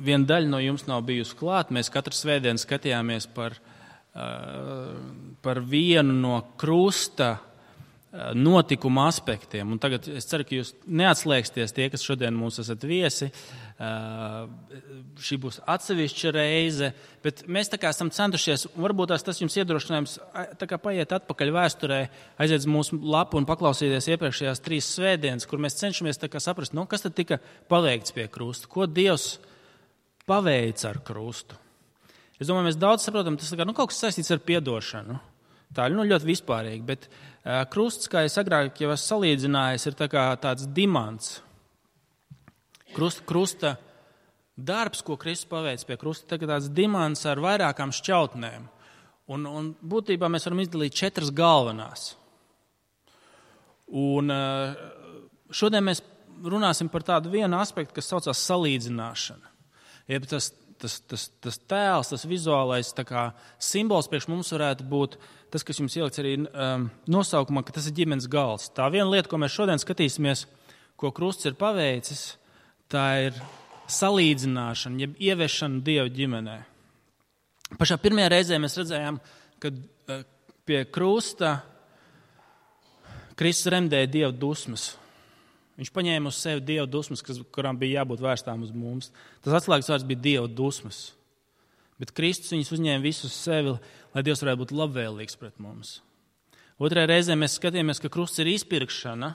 viena daļa no jums nav bijusi klāt, mēs katru svētdienu skatījāmies par vienu no krusta notikuma aspektiem. Un tagad es ceru, ka jūs neatslēgsties tie, kas šodien mūs esat viesi. Šī būs atsevišķa reize, bet mēs tā kā esam centušies, varbūt tas jums iedrošinājums tā kā paiet atpakaļ vēsturē, aiziet uz mūsu lapu un paklausīties iepriekšējās 3 svētdienas, kur mēs cenšamies tā kā saprast, kas tad tika paveikts pie krusta, ko Dievs paveica ar krustu. Es domāju, mēs daudz saprotam, tas kā, kaut kas saistīts ar piedošanu. Tā ir ļoti vispārīgi, bet krusts, kā es agrāk jau esmu salīdzinājis, ir tāds dimants. Krusta darbs, ko Kristus paveic pie krusta, ir tāds dimants ar vairākām šķautnēm. Un būtībā mēs varam izdalīt 4 galvenās. Un šodien mēs runāsim par tādu vienu aspektu, kas saucās salīdzināšana. Jeb tas tēls, tas vizuālais simbols priekš mums varētu būt tas, kas jums ielikts arī nosaukumā, ka tas ir ģimenes galds. Tā viena lieta, ko mēs šodien skatīsimies, ko krusts ir paveicis, tā ir salīdzināšana, jeb ieviešana Dieva ģimenē. Pašā pirmajā reizē mēs redzējām, ka pie krusta Kristus remdēja Dieva dusmas. Viņš paņēma uz sevi Dieva dusmas, kurām bija jābūt vērstām uz mums. Tas atslēgas vārds bija Dieva dusmas. Bet Kristus viņus uzņēma visus uz sevi, lai Dievs varētu būt labvēlīgs pret mums. Otrajā reizē mēs skatījāmies, ka krusts ir izpirkšana,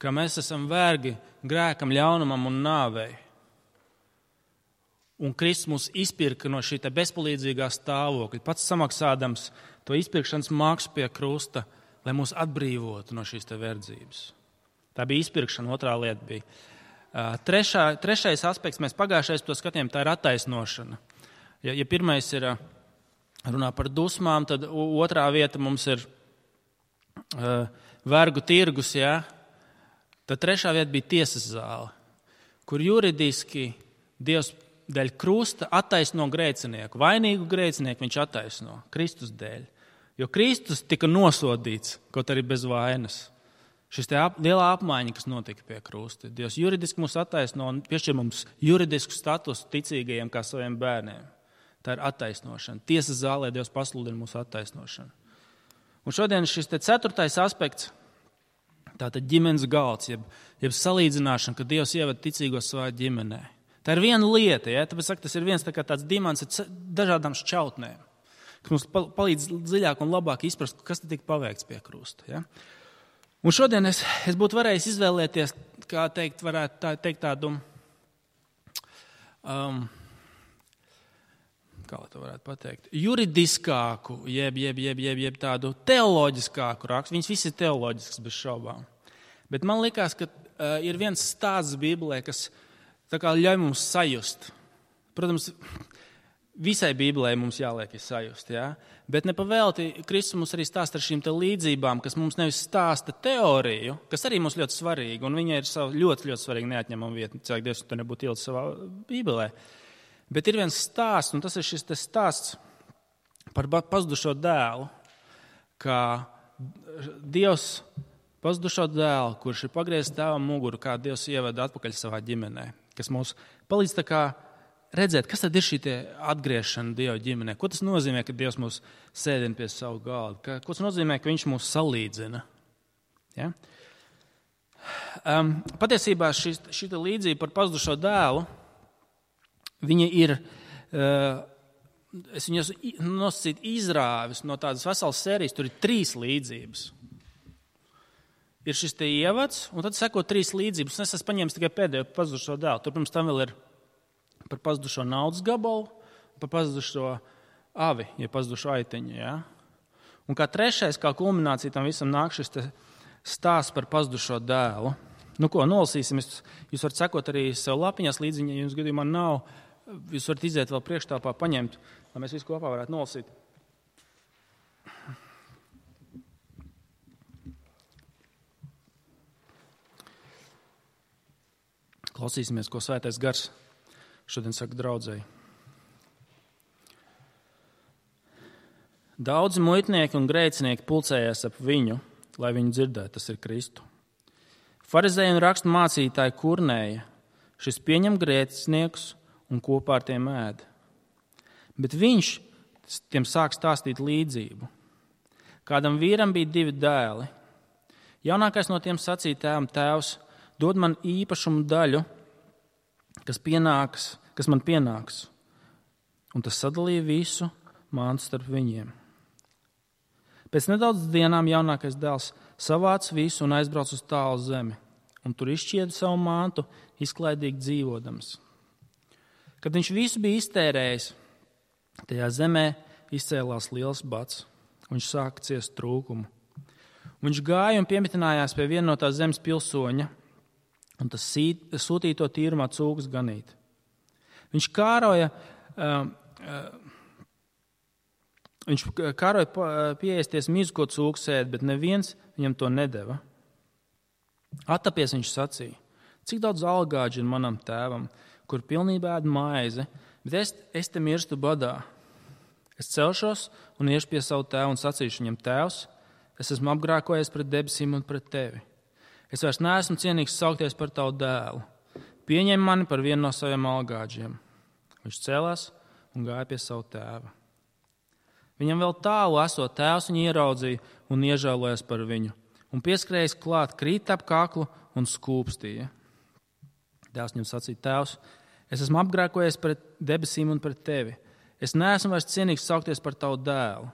ka mēs esam vergi grēkam, ļaunumam un nāvei. Un Kristus mūs izpirka no šī bezpalīdzīgā stāvokļa, pats samaksādams to izpirkšanas maksu pie krusta, lai mūs atbrīvotu no šīs verdzības. Tā bija izpirkšana, otrā lieta bija. Trešais aspekts, mēs pagājušais to skatījām, tā ir attaisnošana. Ja pirmais ir runā par dusmām, tad otrā vieta mums ir vergu tirgus, ja? Tad trešā vieta bija tiesas zāle, kur juridiski Dievs dēļ krusta attaisno grēcinieku. Vainīgu grēcinieku viņš attaisno Kristus dēļ. Jo Kristus tika nosodīts, kaut arī bez vainas. Šis lielā apmaiņa, kas notika pie krusta. Dievs juridiski mūs attaisno un piešķir mums juridisku statusu ticīgajiem kā saviem bērniem. Tā ir attaisnošana. Tiesas zālē Dievs pasludina mūsu attaisnošanu. Un šodien šis 4. aspekts, tātad ģimenes galds, jeb salīdzināšana, ka Dievs ievada ticīgos savā ģimenē. Tā ir viena lieta, ja? Tāpēc saka, tas ir viens tāds dimants ar dažādām šķautnēm, kas mums palīdz dziļāk un labāk izprast, kas tika paveikts pie krusta. Ja? Un šodien es būtu varējis izvēlēties, varētu teikt tādu, kā to varētu pateikt, juridiskāku, jeb tādu teoloģiskāku rakstu. Viņas visi ir teoloģisks bez šaubām. Bet man likās, ka ir viens stāsts Bībelē, kas ļauj mums sajust. Protams, visai Bībelē mums jāliek sajust, ja? Bet nepavēlti Kristus mums arī stāsta ar šīm līdzībām, kas mums nevis stāsta teoriju, kas arī mums ļoti svarīga, un viņa ir ļoti, ļoti svarīga neatņemama vieta. Cilvēki Dievs to nebūtu ielicis savā Bībelē. Bet ir viens stāsts, un tas ir šis stāsts par pazudušo dēlu, kā Dievs pazudušo dēlu, kurš ir pagriezis tēvam muguru, kā Dievs ievada atpakaļ savā ģimenē, kas mums palīdz redzēt, kas tad ir šī atgriešana Dieva ģimenē. Ko tas nozīmē, ka Dievs mūs sēdina pie savu galdu? Ko tas nozīmē, ka viņš mūs salīdzina? Ja? Patiesībā šī līdzība par pazudušo dēlu, viņa ir, es viņu nosacītu izrāvis no tādas veselas sērijas, tur ir 3 līdzības. Ir šis ievads, un tad seko 3 līdzības. Es esmu paņēmis tikai pēdējo pazudušo dēlu. Tur pirms tam vēl ir par pazudušo naudas gabalu, par pazudušo avi, ja pazudušo aiteņu. Ja? Un kā trešais, kā kulminācija tam visam nāk šis stāsts par pazudušo dēlu. Nolasīsim, jūs varat sekot arī sev lapiņās līdzi, ja jums gadījumā nav, jūs varat iziet vēl priekštāpā, paņemt, lai mēs visu kopā varētu nolasīt. Klausīsimies, ko Svētais Gars šodien saka draudzēji. Daudzi muitnieki un grēcinieki pulcējās ap viņu, lai viņu dzirdētu, tas ir Kristu. Farizēji un rakstu mācītāji kurnēja, šis pieņem grēciniekus un kopā ar tiem ēd. Bet viņš tiem sāk stāstīt līdzību. Kādam vīram bija 2 dēli. Jaunākais no tiem sacīja tēvam: Tēvs, dod man īpašumu daļu, kas man pienāks. Un tas sadalīja visu mantu starp viņiem. Pēc nedaudz dienām jaunākais dēls savāca visu un aizbrauca uz tālu zemi, un tur izšķieda savu mantu, izklaidīgi dzīvodams. Kad viņš visu bija iztērējis, tajā zemē izcēlās liels bats, un viņš sāka ciest trūkumu. Viņš gāja un piemitinājās pie viena no tās zemes pilsoņa, un tas sūtīja to tīrumā cūkas ganīt. Viņš kāroja pieēsties mizu, ko cūkas ēd, bet neviens viņam to nedeva. Attapies viņš sacīja: cik daudz algāģi ir manam tēvam, kur pilnībā ēd maizi, bet es te mirstu badā. Es celšos un iešu pie savu tēvu un sacīšu viņam: Tēvs, es esmu apgrēkojies pret debesīm un pret tevi. Es vairs neesmu cienīgs saukties par tavu dēlu. Pieņem mani par vienu no saviem algāģiem. Viņš cēlās un gāja pie savu tēva. Viņam vēl tālu esot, tēvs viņu ieraudzīja un iežēlojās par viņu, un pieskrējis klāt, krīt ap kaklu un skūpstīja. Dēls viņam sacīja: Tēvs, es esmu apgrēkojies pret debesīm un pret tevi. Es neesmu vairs cienīgs saukties par tavu dēlu.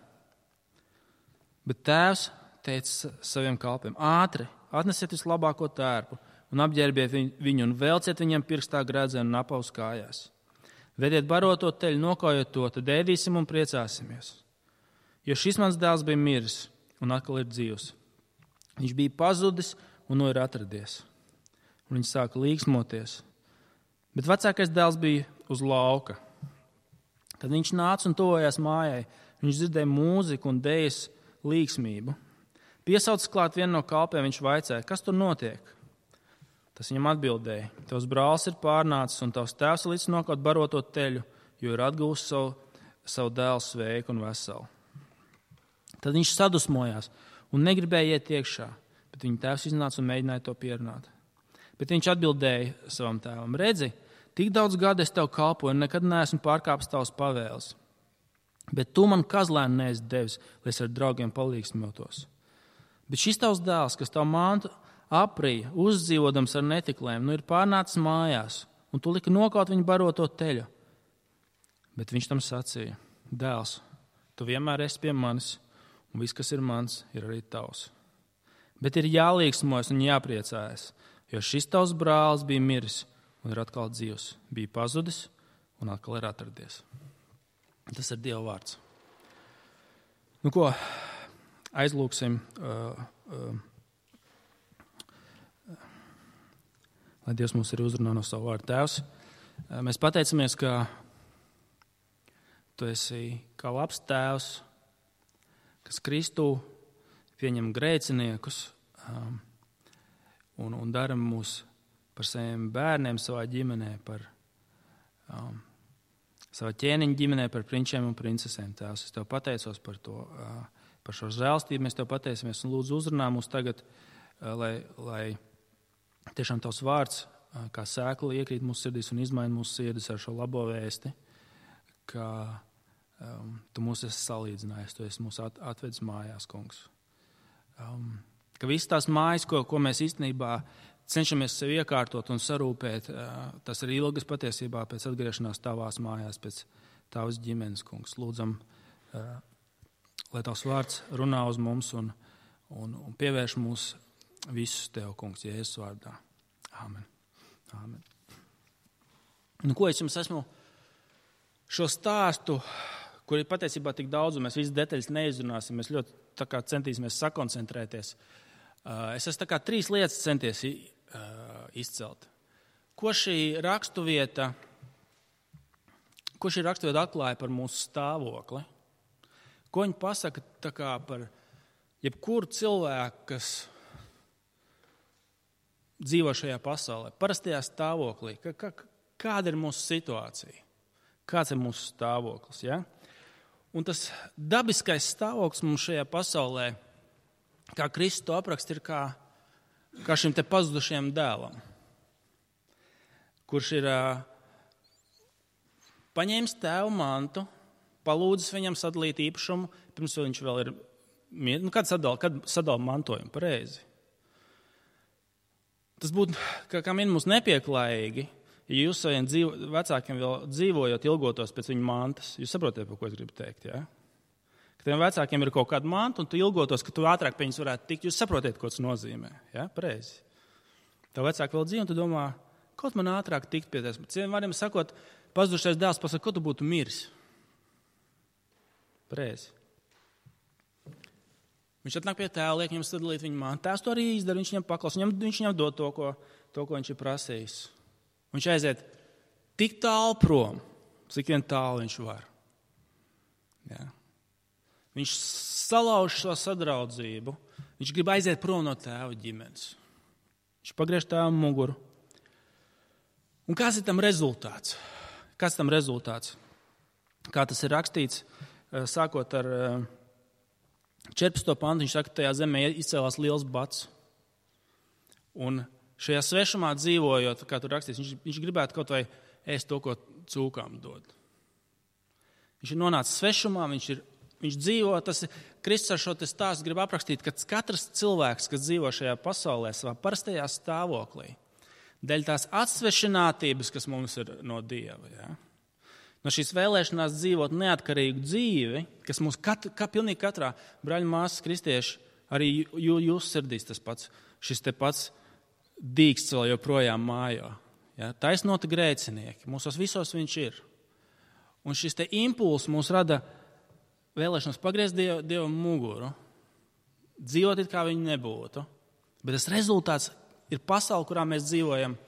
Bet tēvs teica saviem kalpiem: ātri, atnesiet vislabāko tērpu un apģērbiet viņu un velciet viņam pirkstā grēdzenu un apaus kājās. Vediet baroto teļu, nokaujiet to, tad ēdīsim un priecāsimies. Jo šis mans dēls bija miris un atkal ir dzīvs. Viņš bija pazudis un nu ir atradies. Un viņš sāka līksmoties. Bet vecākais dēls bija uz lauka. Kad viņš nāca un tuvojās mājai, viņš dzirdēja mūziku un dejas līksmību. Piesaucis klāt vienu no kalpiem, viņš vaicāja: kas tur notiek? Tas viņam atbildēja: tavs brālis ir pārnācis un tavs tēvs līdz nokaut baroto teļu, jo ir atguvis savu dēlu sveiku un veselu. Tad viņš sadusmojās un negribēja iet iekšā, bet viņa tēvs iznāca un mēģināja to pierunāt. Bet viņš atbildēja savam tēvam: redzi, tik daudz gadu es tev kalpoju un nekad neesmu pārkāpis tavas pavēles. Bet tu man kazlēnu neesi devis, lai es ar draugiem palīgsmotos. Bet šis tavs dēls, kas tavu mantu aprīja, uzdzīvodams ar netiklēm, nu ir pārnācis mājās, un tu liki nokaut viņu baroto teļu. Bet viņš tam sacīja: dēls, tu vienmēr esi pie manis, un viss, kas ir mans, ir arī tavs. Bet ir jālīgsmojas un jāpriecājas, jo šis tavs brālis bija miris un ir atkal dzīvs, bija pazudis un atkal ir atradies. Tas ir Dieva vārds. Nu ko, aizlūksim, lai Dievs mums arī uzrunā no savu vārdu. Tēvs, mēs pateicamies, ka tu esi kā labs tēvs, kas Kristū pieņem grēciniekus un dara mūs par saviem bērniem savā ģimenē, par savā ķēniņa ģimenē, par prinčiem un princesēm. Tēvs, es tev pateicos par to, par šo žēlstību. Mēs tev pateicamies un lūdzu uzrunā mūs tagad, lai tiešām tavs vārds kā sēkla iekrīt mūsu sirdīs un izmaina mūsu sirdis ar šo labo vēsti, ka tu mūs esi salīdzinājis, tu esi mūs atvedis mājās, kungs. Ka visas tās mājas, ko mēs īstenībā cenšamies sev iekārtot un sarūpēt, tas ir ilgas patiesībā pēc atgriešanās tavās mājās, pēc tavas ģimenes, kungs. Lūdzam, lai tavs vārds runā uz mums un pievērš mūs visus tev, kungs, Jēzus vārdā. Āmen. Āmen. Nu, ko es jums esmu šo stāstu, kur ir patiesībā tik daudz, un mēs visas detaļas neizrunāsim, mēs ļoti tā kā centīsimies sakoncentrēties. Es esmu tā kā 3 lietas centies izcelt. Ko šī raksturvieta atklāja par mūsu stāvokli? Ko viņa pasaka tā kā par jebkuru cilvēku, kas dzīvo šajā pasaulē, parastajā stāvoklī? Kāda ir mūsu situācija? Kāds ir mūsu stāvoklis? Ja? Un tas dabiskais stāvoklis mums šajā pasaulē, kā Kristus to apraksta, ir kā šim te pazudušajam dēlam, kurš ir paņēmis tēva mantu, palūdzis viņam sadalīt īpašumu, pirms viņš vēl ir, kad sadala mantojumu, pareizi. Tas būtu, kā minimums, nepieklājīgi, ja jūs saviem vecākiem vēl dzīvojot ilgotos pēc viņu mantas. Jūs saprotiet, par ko es gribu teikt, ja? Ka tiem vecākiem ir kaut kāda manta, un tu ilgotos, ka tu ātrāk pie viņus varētu tikt. Jūs saprotiet, ko tas nozīmē, ja? Pareizi. Tev vecāki vēl dzīvo, un tu domā, kaut man ātrāk tikt pie tās. Citiem vārdiem sakot, pazudušais dēls pasaka, ko tu būtu miris. Pareizi. Viņš atnāk pie tēva, liek viņam sadalīt viņu mantu. Tēvs to arī izdara, viņš viņam paklaus, viņš viņam dod to, ko viņš ir prasījis. Viņš aiziet tik tālu prom, cik vien tālu viņš var. Ja. Viņš salauž šo sadraudzību, viņš grib aiziet prom no tēva ģimenes. Viņš pagriež tēvam muguru. Un kāds ir tam rezultāts? Kā tas ir rakstīts, sākot ar 14. pantu, viņš saka, ka tajā zemē izcēlās liels bats. Un šajā svešumā dzīvojot, kā tur rakstīts, viņš gribētu kaut vai ēst to, ko cūkām dod. Viņš ir nonācis svešumā, viņš dzīvo, Kristus ar šo stāstu grib aprakstīt, ka katrs cilvēks, kas dzīvo šajā pasaulē, savā parastajā stāvoklī, dēļ tās atsvešinātības, kas mums ir no Dieva, ja? No šīs vēlēšanās dzīvot neatkarīgu dzīvi, kas mums pilnīgi katrā brāļa māsas kristieši, arī jūsu sirdīs tas pats, šis te pats dīksts vēl joprojām mājo. Ja? Taisnoti grēcinieki, mūsos visos viņš ir. Un šis te impulss mūs rada vēlēšanos pagriezt Dievam muguru, dzīvot it kā viņi nebūtu, bet tas rezultāts ir pasaule, kurā mēs dzīvojam,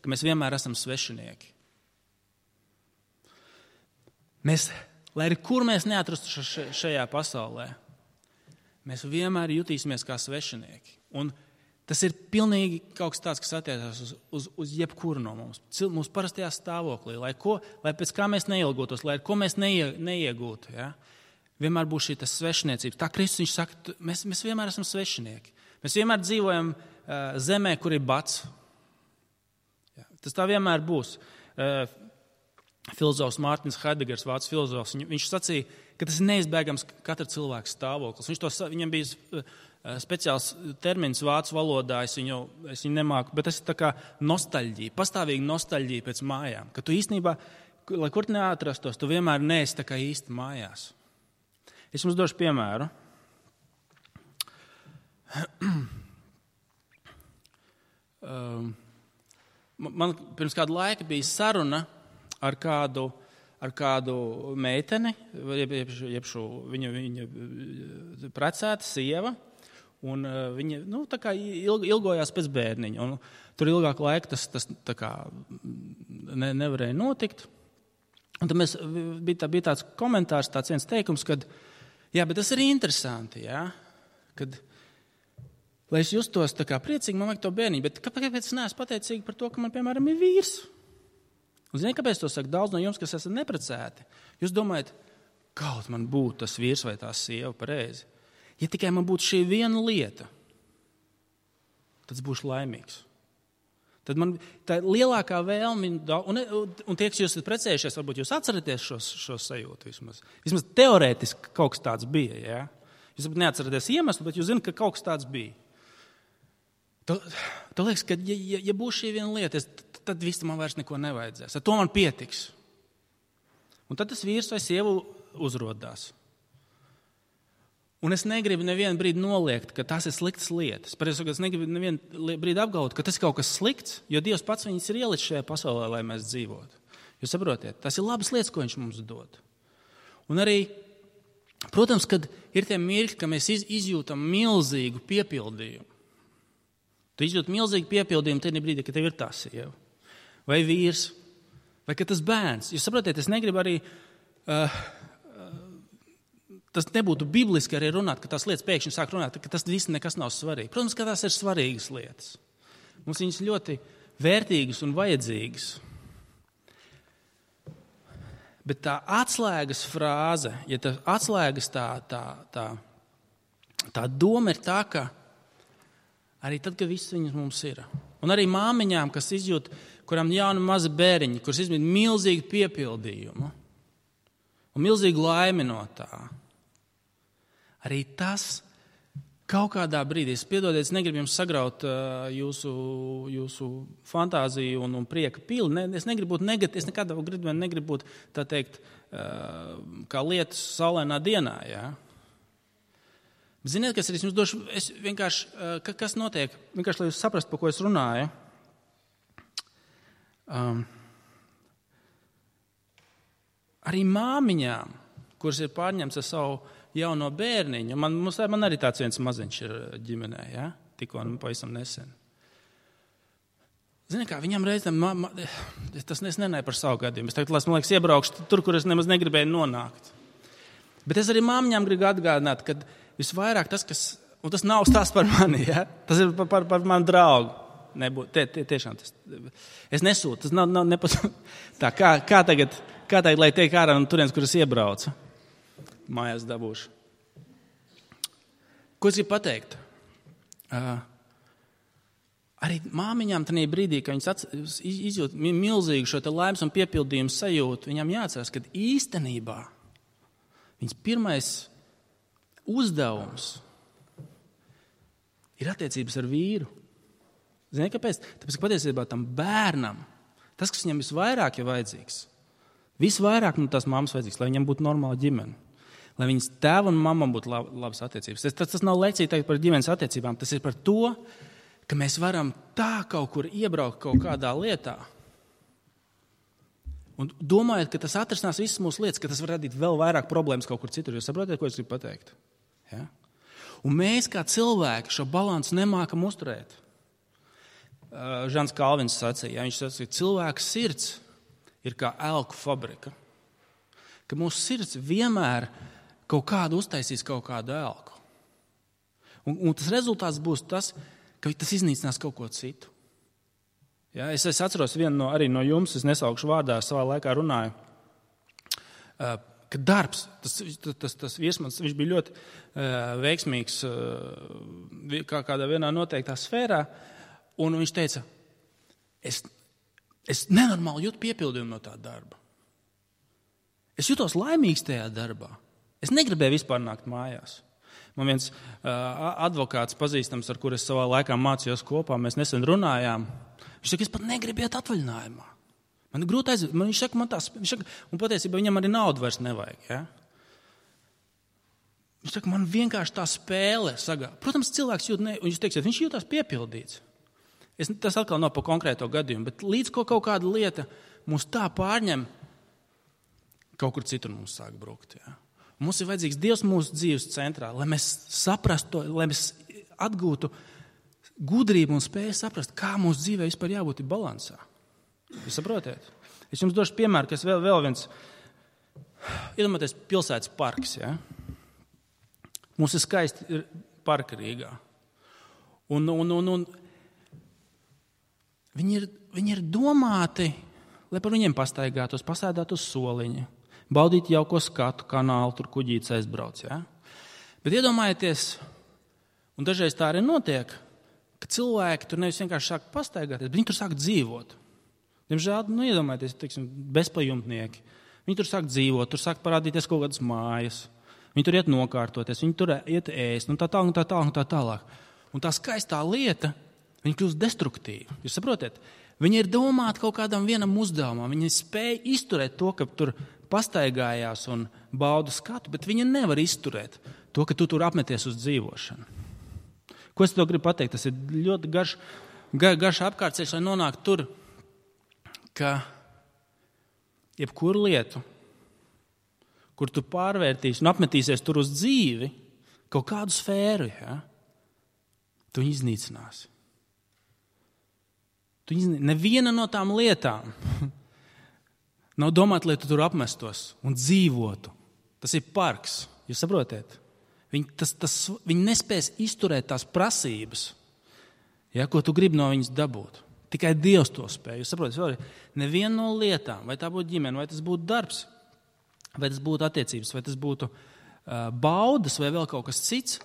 ka mēs vienmēr esam svešinieki. Lai arī kur mēs neatrastu šajā pasaulē, mēs vienmēr jutīsimies kā svešinieki. Un tas ir pilnīgi kaut kas tāds, kas attiecās uz jebkuru no mums. Mūsu parastajā stāvoklī, lai pēc kā mēs neilgotos, lai ko mēs neiegūtu. Ja? Vienmēr būs šī svešniecības. Tā Kristus viņš saka, mēs vienmēr esam svešinieki. Mēs vienmēr dzīvojam zemē, kur ir bats. Ja? Tas tā vienmēr būs. Filozofs Mārtiņš Haidegers, vācu filozofs, viņš sacīja, ka tas ir neizbēgams katra cilvēka stāvoklis. Viņam bija speciāls termins vācu valodā, es viņu nemāku, bet tas ir tā kā nostalģija, pastāvīga nostalģija pēc mājām. Ka tu īstenībā, lai kur neatrastos, tu vienmēr neesi tā kā īsti mājās. Es jums došu piemēru. Man pirms kādu laiku bija saruna ar kādu meiteni, viņa precēta sieva, un viņa tā kā ilgojās pēc bērniņa. Un tur ilgāku laiku tas tā kā nevarēja notikt. Un tad bija tāds komentārs, tāds viens teikums, kad, jā, bet tas ir interesanti, jā, kad, lai es justos tā kā priecīgi, man vajag to bērniņu, bet kāpēc es neesmu pateicīgi par to, ka man, piemēram, ir vīrs? Un ziniet, kāpēc to saka daudz no jums, kas esat neprecēti? Jūs domājat, kaut man būtu tas vīrs vai tā sieva pareizi. Ja tikai man būtu šī viena lieta, tad es būšu laimīgs. Tad man tā lielākā vēlme, un tie, kas jūs esat precējušies, varbūt jūs atceraties šo sajūtu vismaz. Vismaz teorētiski kaut kas tāds bija. Ja? Jūs varbūt neatceraties iemeslu, bet jūs zināt, ka kaut kas tāds bija. Tu liekas, ka ja būs šī viena lieta, tad viss man vairs neko nevajadzēs. Ar to man pietiks. Un tad tas vīrs vai sieva uzrodās. Un es negribu nevienu brīdi noliegt, ka tas ir sliktas lietas. Patiesībā es negribu nevienu brīdi apgalvot, ka tas ir kaut kas slikts, jo Dievs pats viņus ir ielicis šajā pasaulē, lai mēs dzīvotu. Jūs saprotiet, tas ir labas lietas, ko viņš mums dod. Un arī, protams, kad ir tie mirkļi, ka mēs izjūtam milzīgu piepildījumu. Tu izjūti milzīgu piepildījumu tajā brīdī, kad tev ir tā sieva, vai vīrs, vai ka tas bērns. Jūs saprotiet, es negribu arī, tas nebūtu bibliski arī runāt, ka tās lietas pēkšņi sāk runāt, ka tas viss nekas nav svarīgi. Protams, ka tās ir svarīgas lietas. Mums viņas ļoti vērtīgas un vajadzīgas. Bet tā atslēgas frāze, ja tā atslēgas tā doma ir tā, ka arī tad, kad viss viņas mums ir. Un arī māmiņām, kas izjūt, kuram jauni mazi bēriņi, kurus izmīt milzīgu piepildījumu un milzīgu laimi no tā, arī tas kaut kādā brīdī, piedodiet, es negribu jums sagraut jūsu fantāziju un prieka pili, es negribu būt negatīvs, es nekad negribu būt, tā teikt, kā lietas saulainā dienā, jā. Ziniet, kas ir, es jums došu, es vienkārši, kas notiek, vienkārši, lai jūs saprastu, par ko es runāju. Arī māmiņām, kuras ir pārņemts ar savu jauno bērniņu, man arī tāds viens maziņš ir ģimenē, ja? Tikko pavisam nesen. Zini kā, viņam reizēm, tas nenāja par savu gadījumu, es tagad, man liekas, iebraukšu tur, kur es nemaz negribēju nonākt. Bet es arī māmiņām gribu atgādināt, ka visvairāk tas, kas, un tas nav stāsts par mani, ja? Tas ir par manu draugu. Tiešām tas, es nesūtu, tas nav tā, kā tagad, lai tiek ārā no turienes, kur es iebraucu. Mājās dabūšu. Ko es gribu pateikt? Arī māmiņām tajā brīdī, kad viņas izjūt milzīgu šo te laimes un piepildījumu sajūtu, viņām jāatcerās, ka īstenībā viņas pirmais uzdevums ir attiecības ar vīru. Zini, kāpēc? Tāpēc, ka patiesībā tam bērnam, tas, kas viņam visvairāk ir vajadzīgs, visvairāk no tās mammas vajadzīgs, lai viņam būtu normāla ģimene. Lai viņas tēva un mamma būtu labas attiecības. Tas nav lekcija par ģimenes attiecībām. Tas ir par to, ka mēs varam tā kaut kur iebraukt kaut kādā lietā. Un domājot, ka tas atrisinās visas mūsu lietas, ka tas var radīt vēl vairāk problēmas kaut kur citur. Jūs saprotat, ko es gribu pateikt? Ja? Un mēs kā cilvēki šo balansu nemākam uzturēt. Žans Kalvins sacīja, viņš sacīja, cilvēka sirds ir kā elku fabrika. Ka mūsu sirds vienmēr kaut kādu uztaisīs kaut kādu elku. Un tas rezultāts būs tas, ka tas iznīcinās kaut ko citu. Ja, es atceros vienu arī no jums, es nesaukšu vārdā, savā laikā runāju, ka darbs, tas viesmans, viņš bija ļoti veiksmīgs kādā vienā noteiktā sfērā, un viņš teica, es nenormāli jūtu piepildījumu no tā darba. Es jutos laimīgs tajā darbā. Es negribēju vispār nākt mājās. Man viens advokāts pazīstams, ar kuru es savā laikā mācījos kopā, mēs nesen runājām. Viņš saka, es pat negribu iet atvaļinājumā. Man ir grūti aiziet. Viņš saka, un patiesībā viņam arī naudu vairs nevajag. Ja? Viņš saka, man vienkārši tā spēle sagā. Protams, cilvēks jūt, un jūs teiksiet, viņš jūtās piepildīts. Tas atkal nav par konkrēto gadījumu, bet līdz kaut kāda lieta mūs tā pārņem, kaut kur citur mums sāk brukt. Ja? Mums ir vajadzīgs Dievs mūsu dzīves centrā, lai mēs saprastu to, lai mēs atgūtu gudrību un spēju saprast, kā mūsu dzīvē vispār jābūt balansā. Jūs saprotiet? Es jums došu piemēru, kas vēl viens, iedomājieties, pilsētas parks. Ja? Mums ir skaisti parki Rīgā. Un viņi ir domāti, lai par viņiem pastaigātos, pasēdētu uz soliņa. Baudīt jauko skatu, kanālu, tur kuģītis aizbrauc. Ja? Bet iedomājieties, un dažreiz tā arī notiek, ka cilvēki tur nevis vienkārši sāk pastaigāties, bet viņi tur sāk dzīvot. Diemžēl, iedomājieties, teiksim, bezpajumtnieki. Viņi tur sāk dzīvot, tur sāk parādīties kaut kādas mājas. Viņi tur iet nokārtoties, viņi tur iet ēst, un tā tālāk. Un tā skaistā lieta, viņi kļūst destruktīvi. Jūs saprotiet? Viņi ir domāti kaut kādam vienam uzdevumam. Viņi spēj izturēt to, ka tur pastaigājās un bauda skatu, bet viņi nevar izturēt to, ka tu tur apmeties uz dzīvošanu. Ko es to gribu pateikt? Tas ir ļoti garš apkārtceļš, lai nonāktu tur, ka jebkuru lietu, kur tu pārvērtīsi un apmetīsies tur uz dzīvi, kaut kādu sfēru, ja, tu viņu iznīcināsi. Neviena no tām lietām nav domāta, lai tu tur apmestos un dzīvotu. Tas ir parks, jūs saprotiet? Viņi nespēs izturēt tās prasības, ja, ko tu gribi no viņas dabūt. Tikai Dievs to spēj. Jūs saprotat, neviena no lietām, vai tā būtu ģimene, vai tas būtu darbs, vai tas būtu attiecības, vai tas būtu baudas, vai vēl kaut kas cits,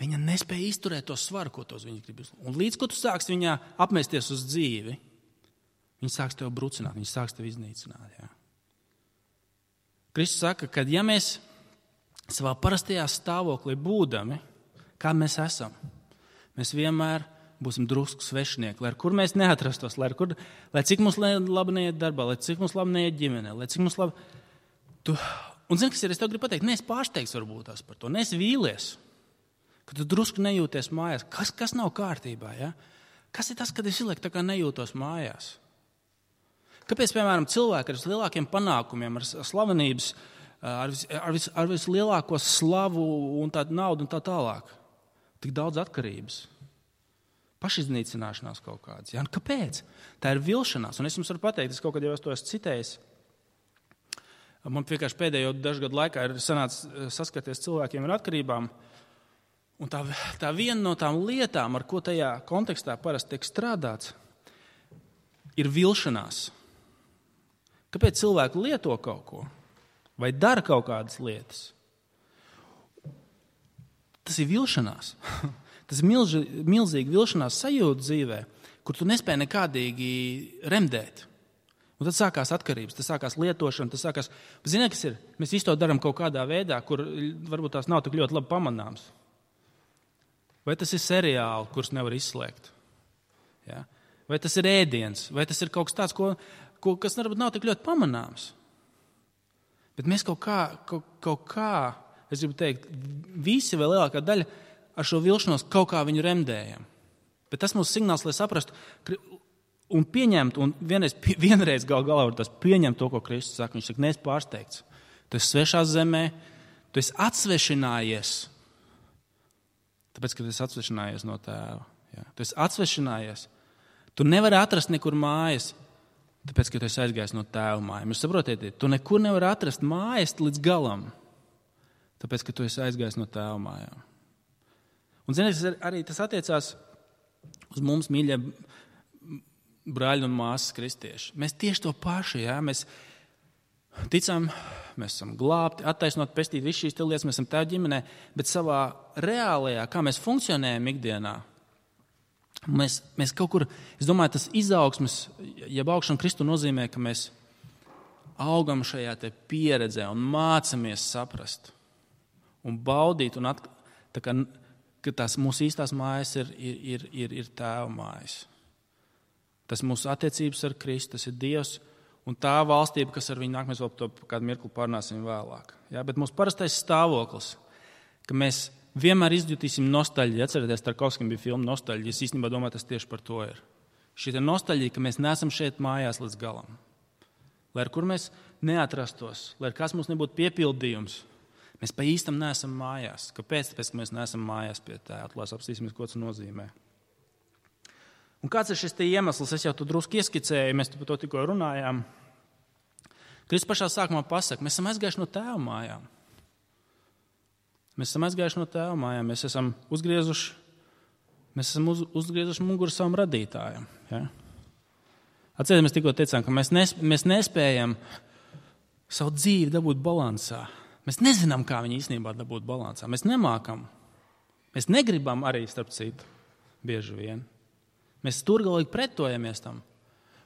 viņa nespēja izturēt to svaru, ko tos viņa grib. Un līdz ko tu sāksi viņā apmesties uz dzīvi, Viņi sāks tev brucināt, viņi sāks tev iznīcināt. Ja? Kristus saka, ka ja mēs savā parastajā stāvoklī būdami, kā mēs esam, mēs vienmēr būsim drusku svešinieki, lai kur mēs neatrastos, lai cik mums labi neiet darbā, lai cik mums labi neiet ģimenē, lai cik mums labi... Un zini, kas ir, es tev gribu pateikt, neesi pārsteigts varbūt tās par to, neesi vīlies, ka tu drusku nejūties mājās. Kas nav kārtībā, ja? Kas ir tas, kad es ilēku tā kā nejūtos mājās? Kāpēc, piemēram, cilvēki ar vislielākiem panākumiem, ar slavenības, ar vislielāko slavu un tādu naudu un tā tālāk, tik daudz atkarības? Pašiznīcināšanās kaut kādas. Ja? Kāpēc? Tā ir vilšanās. Un es jums varu pateikt, es kaut kad jau to esmu citējis. Man vienkārši pēdējo dažu gadu laikā ir sanācis saskaties cilvēkiem ar atkarībām. Un tā viena no tām lietām, ar ko tajā kontekstā parasti tiek strādāts, ir vilšanās. Kāpēc cilvēki lieto kaut ko vai dara kaut kādas lietas? Tas ir vilšanās. Tas ir milzīgi vilšanās sajūta dzīvē, kur tu nespēji nekādīgi remdēt. Un tad sākās atkarības, tas sākās lietošana, tas sākās... Ziniet, kas ir? Mēs visu to darām kaut kādā veidā, kur varbūt tās nav tik ļoti labi pamanāms. Vai tas ir seriāli, kurus nevar izslēgt? Ja? Vai tas ir ēdiens? Vai tas ir kaut kas tāds, kas varbūt nav tik ļoti pamanāms? Bet mēs kaut kā, es gribu teikt, visi vai lielākā daļa ar šo vilšanos kaut kā viņu remdējam. Bet tas mūsu signāls, lai saprastu un pieņemt, un vienreiz galā var tas pieņemt to, ko Kristus saka. Viņš saka, neesi pārsteigts. Tu esi svešā zemē, tu esi atsvešinājies. Tāpēc, ka tu esi atsvešinājies no tēva. Ja? Tu esi atsvešinājies. Tu nevari atrast nekur mājas, tāpēc, ka tu esi aizgājis no tēva mājām. Jūs saprotiet, tu nekur nevari atrast mājas līdz galam, tāpēc, ka tu esi aizgājis no tēva mājām. Un ziniet, arī tas attiecās uz mums, mīļie brāļi un māsas kristieši. Mēs tieši to paši, ja? Mēs ticam, mēs esam glābti, attaisnot, pestīti, visu šīs lietas, mēs esam tēva ģimenē, bet savā reālajā, kā mēs funkcionējam ikdienā, mēs kaut kur, es domāju, tas izaugsmes, ja augšana Kristu nozīmē, ka mēs augam šajā te pieredzē un mācamies saprast un baudīt, un ka tās mūsu īstās mājas ir tēva mājas. Tas mūsu attiecības ar Kristu, tas ir Dievs un tā valstība, kas ar viņu nāk, mēs vēl to kādu mirkli pārnāsim vēlāk. Ja? Bet mūsu parastais stāvoklis, ka mēs vienmēr izjutīsim nostalģiju. Atcerieties, Tarkovskim bija filma Nostalģija. Es īstenībā domāju, tas tieši par to ir. Šī nostalģija, ka mēs neesam šeit mājās līdz galam. Lai ar kur mēs neatrastos, lai ar kas mums nebūtu piepildījums, mēs pa īstam neesam mājās. Kāpēc? Tāpēc, ka mēs neesam mājās pie tēva. Atlās apstīsimies, ko tas nozīmē. Un kāds ir šis te iemesls? Es jau tu drusku ieskicēju, mēs par to tikko runājām. Kristus pašā sākumā pasaka, mēs esam aizgājuši no tēva mājām. Mēs esam uzgriezuši muguru savam radītājam. Ja? Atcerieties, mēs tikko teicām, ka mēs nespējam savu dzīvi dabūt balansā. Mēs nezinām, kā viņu īstenībā dabūt balansā. Mēs nemākam. Mēs negribam arī, starp citu, bieži vien. Mēs turgalīgi pretojamies tam.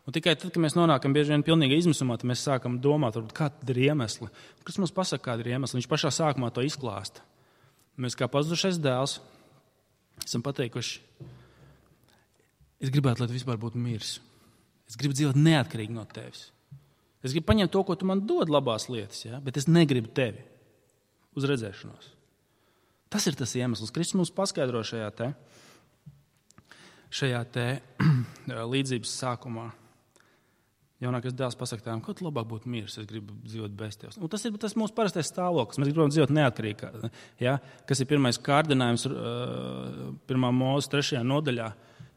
Un tikai tad, kad mēs nonākam bieži vien pilnīgi izmisumā, tad mēs sākam domāt, kādi ir iemesli. Kas mums pasaka, kādi ir iemesli? Viņš pašā sākumā to izklāsta. Mēs kā pazudušais dēls esam pateikuši, es gribētu, lai tu vispār būtu miris. Es gribu dzīvot neatkarīgi no tevis. Es gribu paņemt to, ko tu man dod labās lietas, ja? Bet es negribu tevi uz redzēšanos. Tas ir tas iemesls. Kristus mums paskaidro šajā te līdzības sākumā. Jaunākais dēls pasaka tēvam, ko tu labāk būtu miris, es gribu dzīvot bez tevis. Un tas ir mūsu parastais stāvoklis. Mēs gribam dzīvot neatkarīgi. Ja? Kas ir pirmais kārdinājums 1. Mūzes 3. nodaļā?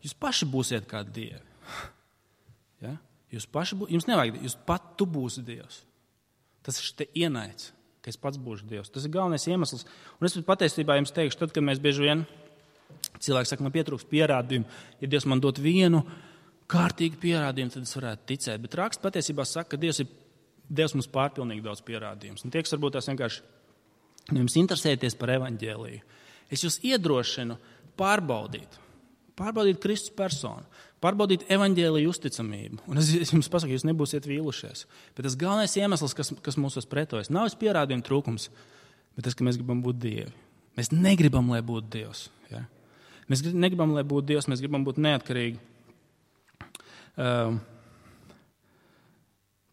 Jūs paši būsiet kā dievi. Ja? Jums nevajag, tu būsi Dievs. Tas ir te ienaids, ka es pats būšu Dievs. Tas ir galvenais iemesls. Un es patiesībā jums teikšu, tad, kad mēs bieži vien cilvēki saka, man pietrūkst pierādījumu. Ja Dievs man dot vienu kārtīgu pierādījumu, tad es varētu ticēt. Bet raksts patiesībā saka, ka Dievs mums pārpilnīgi daudz pierādījumus. Un tie, kas varbūt tās vienkārši jums interesēties par evaņģēliju, es jūs iedrošinu pārbaudīt Kristus personu. Pārbaudīt evaņģēliju uzticamību. Un es jums pasaku, jūs nebūsiet vīlušies. Bet tas galvenais iemesls, kas mūsos pretojas, nav pierādījuma trūkums, bet tas, ka mēs gribam būt Dievi. Mēs negribam, lai būtu Dievs. Ja? Mēs negribam, lai būtu Dievs, mēs gribam būt neatkarīgi.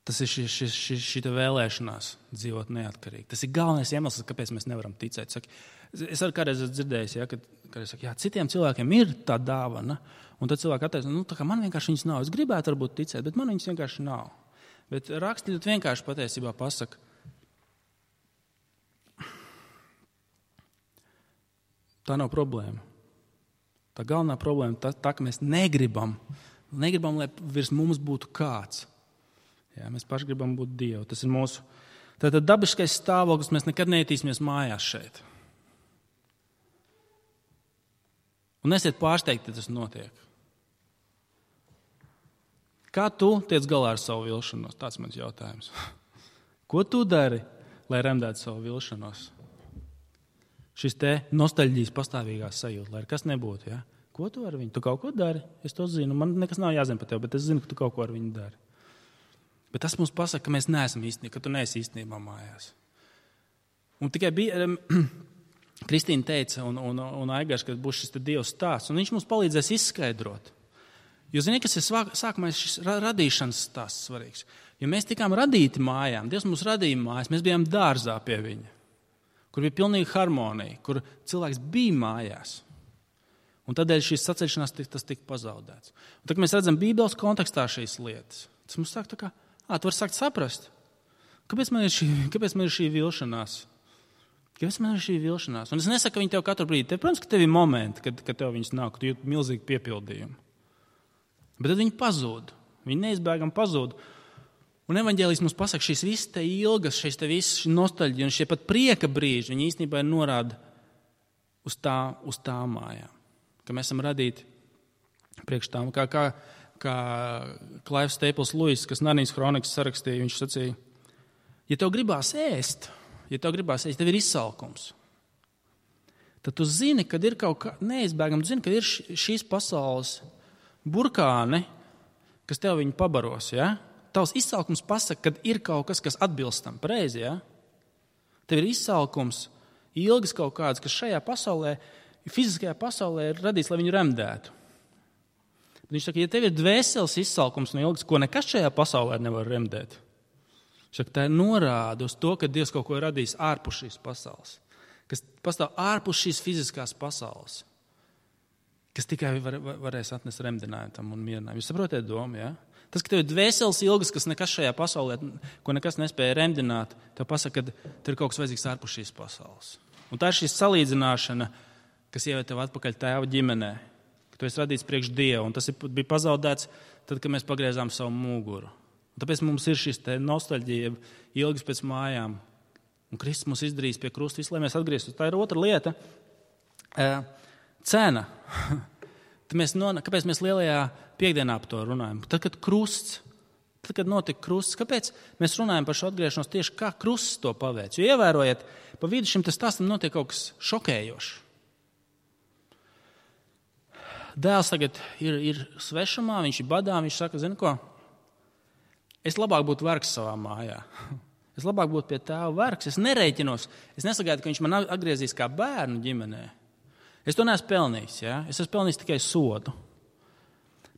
Tas ir šī vēlēšanās dzīvot neatkarīgi. Tas ir galvenais iemesls, kāpēc mēs nevaram ticēt. Es arī kādreiz esmu dzirdējis, ja, kad es saku, jā, citiem cilvēkiem ir tā dāvana, un tad cilvēki attaisno, tā kā man vienkārši viņas nav. Es gribētu varbūt ticēt, bet man viņas vienkārši nav. Bet raksti vienkārši patiesībā pasaka, tā nav problēma. Tā galvenā problēma tā, ka mēs negribam, lai virs mums būtu kāds. Jā, mēs paši gribam būt Dievu. Tas ir mūsu tātad dabiskais stāvoklis, mēs nekad neietīsimies mājās šeit. Un nesiet pārsteigti, ja tas notiek. Kā tu tiec galā ar savu vilšanos? Tāds mans jautājums. Ko tu dari, lai remdētu savu vilšanos? Šis te nostalģijas pastāvīgās sajūta, lai kas nebūtu. Ja? Ko tu ar viņu? Tu kaut ko dari? Es to zinu. Man nekas nav jāzina par tevi, bet es zinu, ka tu kaut ko ar viņu dari. Bet tas mums pasaka, ka mēs neesam īstenībā, ka tu neesi īstenībā mājās. Un tikai bija, Kristīna teica un Aigars, ka būs šis Dievs stāsts, un viņš mums palīdzēs izskaidrot. Jo zini, kas ir sākumā šis radīšanas stāsts svarīgs. Jo mēs tikām radīti mājām, Dievs mums radīja mājās, mēs bijām dārzā pie viņa, kur bija pilnīga harmonija, kur cilvēks bija mājās. Un tādēļ šīs saceļšanās tas tika pazaudēts. Un tad mēs redzam Bībeles kontekstā šīs lietas. Tas mums sāk tā kā, tu vari sākt saprast, kāpēc man ir šī vilšanās. Kāpēc man ir šī vilšanās? Un es nesaku, ka viņi tev katru brīdi. Protams, ka tev ir momenti, kad tev viņas nav, ka tu jūti milzīgu piepildījumu. Bet tad viņi pazūd. Viņi neizbēgami pazūd. Un evaņģēlijs mums pasaka, šīs visas te ilgas, šīs te visas nostalģija un šie pat prieka brīži, viņi īstenībā ir norāda uz tām mājām. Ka mēs esam radīti priekš tām. Kā Klaivs Staples Lewis, kas Narnijas kronikas sarakstīja, viņš sacīja, ja tev gribās ēst, tev ir izsalkums, tad tu zini, kad ir kaut kā neizbēgami, tu zini, kad ir šīs pasaules burkāni, kas tev viņu pabaros, ja? Tavs izsalkums pasaka, kad ir kaut kas atbilstam, pareizi, ja? Tev ir izsalkums, ilgas kaut kādas, kas šajā pasaulē, fiziskajā pasaulē ir radīts, lai viņu remdētu. Viņš saka, ja tev ir dvēseles izsalkums un ilgas, ko nekas šajā pasaulē nevar remdēt, viņš saka, tā ir norāda uz to, ka Dievs kaut ko ir radījis ārpus šīs pasaules, kas pastāv ārpus šīs fiziskās pasaules, kas tikai varēs atnest remdinājumu tam un mierinājumu. Jūs saprotiet domu, ja? Tas, ka tev ir dvēseles ilgas, kas nekas šajā pasaulē, ko nekas nespēja remdināt, tev pasaka, ka tev ir kaut kas vajadzīgs ārpus šīs pasaules. Un tā ir šī salīdzināšana, kas ieved tev atpakaļ tēva ģimenē, ka tu esi radīts priekš Dieva, un tas bija pazaudēts tad, kad mēs pagriezām savu muguru. Un tāpēc mums ir šis te nostalģija, ilgas pēc mājām, un Kristus mums izdarīs pie krusta visu, lai mēs atgrieztos. Tā ir otra lieta. Cena. Kāpēc mēs lielajā piekdienā par to runājam? Tad, kad notika krusts, kāpēc mēs runājam par šo atgriešanos tieši kā krusts to paveic? Jo ievērojiet, pa vidu šim stāstam notiek kaut kas šokējošs. Dēls tagad ir svešumā, viņš ir badā, viņš saka, zini ko, es labāk būtu vergs savā mājā. Es labāk būtu pie tēva vergs, es nerēķinos, es nesagaidu, ka viņš man atgriezīs kā bērnu ģimenē. Es to neesmu pelnījis, ja? Es esmu pelnījis tikai sodu.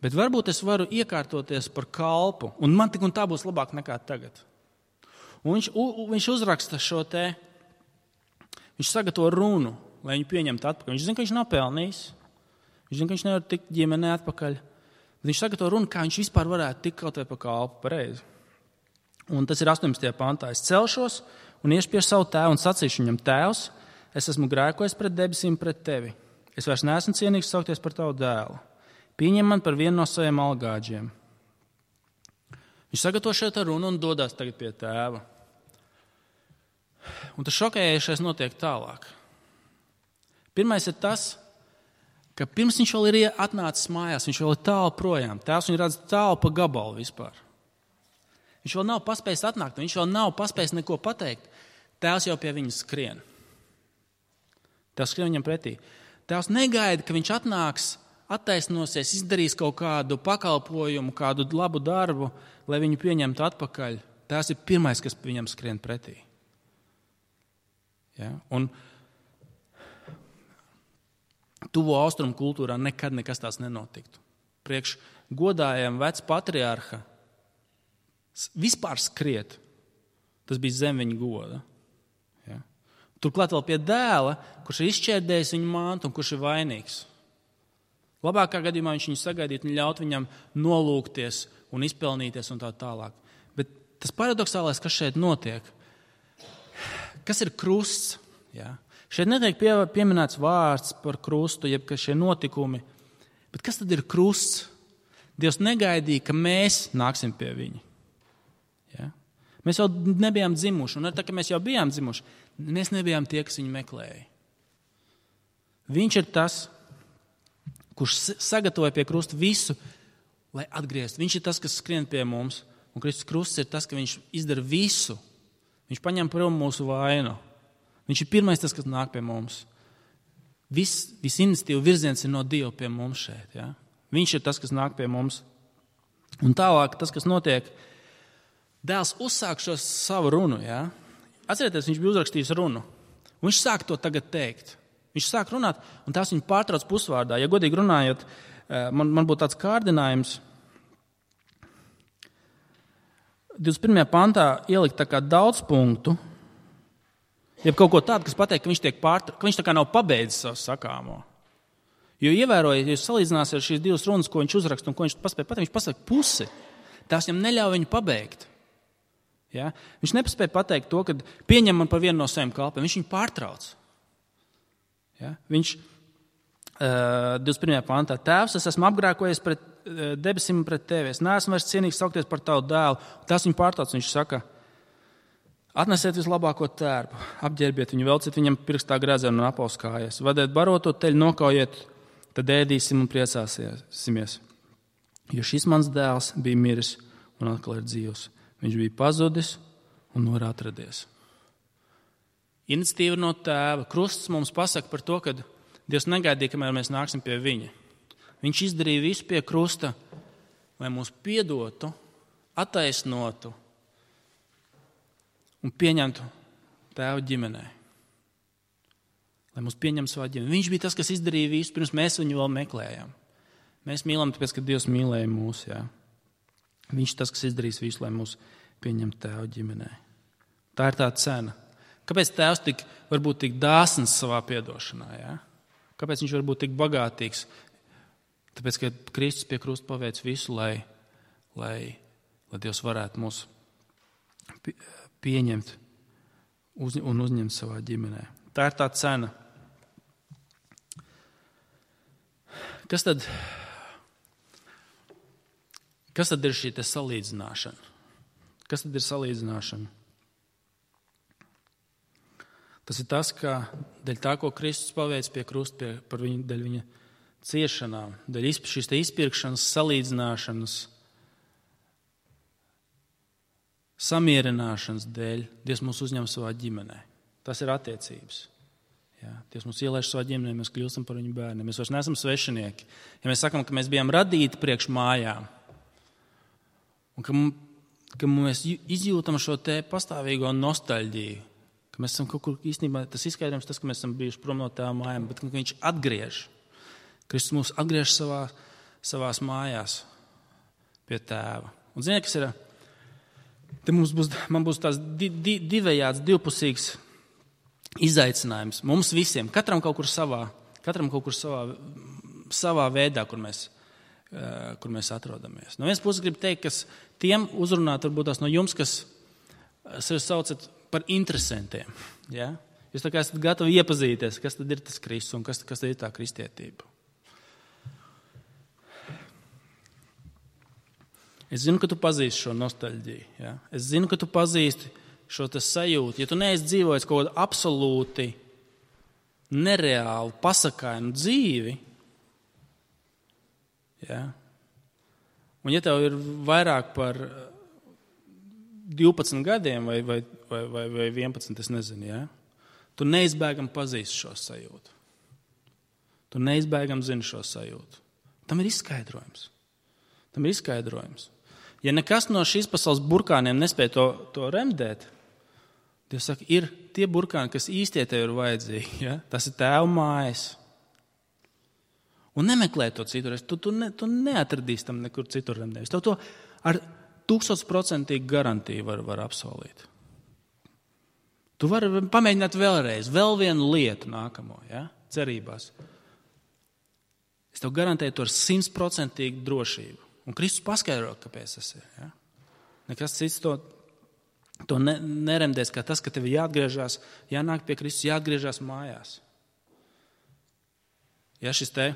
Bet varbūt es varu iekārtoties par kalpu, un man tik un tā būs labāk nekā tagad. Un viņš uzraksta šo te, viņš sagatavo runu, lai viņu pieņemtu atpakaļ. Viņš zina, ka viņš nav pelnījis. Viņš zina, ka viņš nevar tikt ģimenē atpakaļ. Viņš sagatavo runu, kā viņš vispār varētu tikt kaut vai pa kalpu pareizi. Un tas ir 18. pantā. Es celšos un iešu pie savu tēvu un sacīšu viņam, tēvs, es esmu grēkojis pret debesīm pret tevi. Es vairs neesmu cienīgs saukties par tavu dēlu. Pieņem man par vienu no saviem algāģiem. Viņš sagatavo šeit runu un dodās tagad pie tēva. Un tas šokējošais notiek tālāk. Pirmais ir tas, ka pirms viņš vēl ir atnācis mājās, viņš vēl ir tālu projām. Tēvs viņu redz tālu pa gabalu vispār. Viņš vēl nav paspējis atnākt, viņš vēl nav paspējis neko pateikt. Tēvs jau pie viņa skrien. Tēvs skrien viņam pretī. Tēvs negaida, ka viņš atnāks attaisnosies, izdarīs kaut kādu pakalpojumu, kādu labu darbu, lai viņu pieņemtu atpakaļ, tās ir pirmais, kas viņam skrien pretī. Ja? Un tuvo austrumu kultūrā nekad nekas tās nenotiktu. Priekš godājiem vec patriarha vispār skriet, tas bija zem viņa goda. Ja? Turklāt vēl pie dēla, kurš ir izšķērdējis viņu mantu un kurš ir vainīgs. Labākā gadījumā viņš viņu sagaidītu un ļaut viņam nolūgties un izpelnīties un tā tālāk. Bet tas paradoxālais, kas šeit notiek, kas ir krusts? Ja? Šeit netiek pieminēts vārds par krustu, jeb ka šie notikumi. Bet kas tad ir krusts? Dievs negaidīja, ka mēs nāksim pie viņa. Ja? Mēs jau nebijām dzimuši, un tā, ka mēs jau bijām dzimuši, mēs nebijām tie, kas viņu meklēja. Viņš ir tas, kurš sagatavoja pie krusta visu, lai atgrieztu. Viņš ir tas, kas skrien pie mums, un Kristus krusts ir tas, ka viņš izdara visu. Viņš paņem prom mūsu vainu. Viņš ir pirmais tas, kas nāk pie mums. Viss iniciatīva virziens ir no Dieva pie mums šeit. Ja? Viņš ir tas, kas nāk pie mums. Un tālāk tas, kas notiek, dēls uzsāk šo savu runu. Ja? Atcerieties, viņš bija uzrakstījis runu. Un viņš sāk to tagad teikt. Viņš sāk runāt, un tās viņu pārtrauc pusvārdā. Ja godīgi runājot, man būtu tāds kārdinājums 21. pantā ielikt tā kā daudz punktu, jeb kaut ko tādu, kas pateikt, ka viņš tiek ka viņš tā kā nav pabeidzis savu sakāmo. Jo ievērojiet, ja jūs salīdzināsiet šīs divas runas, ko viņš uzraksta un ko viņš paspēja pateikt, viņš pasaka pusi. Tās viņam neļauj viņu pabeigt. Ja? Viņš nepaspēja pateikt to, ka pieņem man par vienu no saviem kalpiem. Viņš viņu pārtrauc. Ja? Viņš 21. pantā: Tēvs, es esmu apgrēkojies pret debesīm un pret tevi. Es neesmu vairs cienīgs saukties par tavu dēlu. Tas viņu pārtrauc. Viņš saka: atnesiet vislabāko tērpu, apģērbiet viņu, velciet viņam pirkstā grēzēnu un apaus kājas, vadiet baroto teļu, nokaujiet, tad ēdīsim un priecāsimies. Jo šis mans dēls bija miris un atkal ir dzīvs. Viņš bija pazudis un ir atradies. Iniciatīva no tēva. Krusts mums pasaka par to, ka Dievs negaidīja, kamēr mēs nāksim pie viņa. Viņš izdarīja visu pie krusta, lai mūs piedotu, attaisnotu un pieņemtu tēva ģimenē. Lai mūs pieņem savā ģimenē. Viņš bija tas, kas izdarīja visu, pirms mēs viņu vēl meklējām. Mēs mīlam, tāpēc, ka Dievs mīlēja mūs. Jā. Viņš ir tas, kas izdarīs visu, lai mūs pieņemtu tēva ģimenē. Tā ir tā cena. Kāpēc tēvs varbūt tik dāsns savā piedošanā? Jā? Kāpēc viņš var būt tik bagātīgs? Tāpēc, ka Kristus pie krusta paveic visu, lai Dievs varētu mūs pieņemt un uzņemt savā ģimenē. Tā ir tā cena. Kas tad ir šī salīdzināšana? Kas tad ir salīdzināšana? Tas ir tas, ka dēļ tā, ko Kristus paveic pie krusta, dēļ viņa ciešanām, dēļ šīs izpirkšanas, salīdzināšanas, samierināšanas dēļ, Dievs mūs uzņem savā ģimenē. Tas ir attiecības. Jā, Dievs mūs ielaiž savā ģimenē, mēs kļūstam par viņu bērniem. Mēs vairs neesam svešinieki. Ja mēs sakam, ka mēs bijām radīti priekš mājām, un ka mēs izjūtam šo te pastāvīgo nostalģiju, ka mēs esam kaut kur īstenībā, tas izskaidrojums tas, ka mēs esam bijuši prom no tēva mājām, bet ka viņš atgriež. Kristus mūs atgriež savās mājās pie tēva. Un ziniet, kas ir? Te man būs tās divējāds, divpusīgs izaicinājums. Mums visiem, katram kaut kur savā veidā, kur mēs atrodamies. No vienas puses gribu teikt, kas tiem uzrunāt varbūt tās no jums, kas sevi saucat par interesantiem. Ja? Jūs tā kā esat gatavi iepazīties, kas tad ir tas Kristus un kas tad ir tā kristietība. Es zinu, ka tu pazīsti šo nostalģiju. Ja? Es zinu, ka tu pazīsti šo sajūtu. Ja tu neesi dzīvojis kaut kādu absolūti nereālu, pasakainu dzīvi, ja? Un ja tev ir vairāk par 12 gadiem vai 11, es nezinu, ja? Tu neizbēgam pazīsti šo sajūtu. Tu neizbēgam zini šo sajūtu. Tam ir izskaidrojums. Ja nekas no šīs pasaules burkāniem nespēja to remdēt, Dievs saka, ir tie burkāni, kas īstie tev ir vajadzīgi. Ja? Tas ir Tēva mājas. Un nemeklē to citur. Tu neatradīsi tam nekur citur remdējus. Tev to ar 1000% garantiju var apsolīt. Tu vari pamēģināt vēlreiz, vēl vienu lietu nākamo, ja? Cerībās. Es tev garantēju to ar 100% drošību. Un Kristus paskaidro, kāpēc tas ir. Ja? Nekas cits to neremdēs, kā tas, ka tev jāatgriežas, jānāk pie Kristus, jāatgriežas mājās. Ja šis te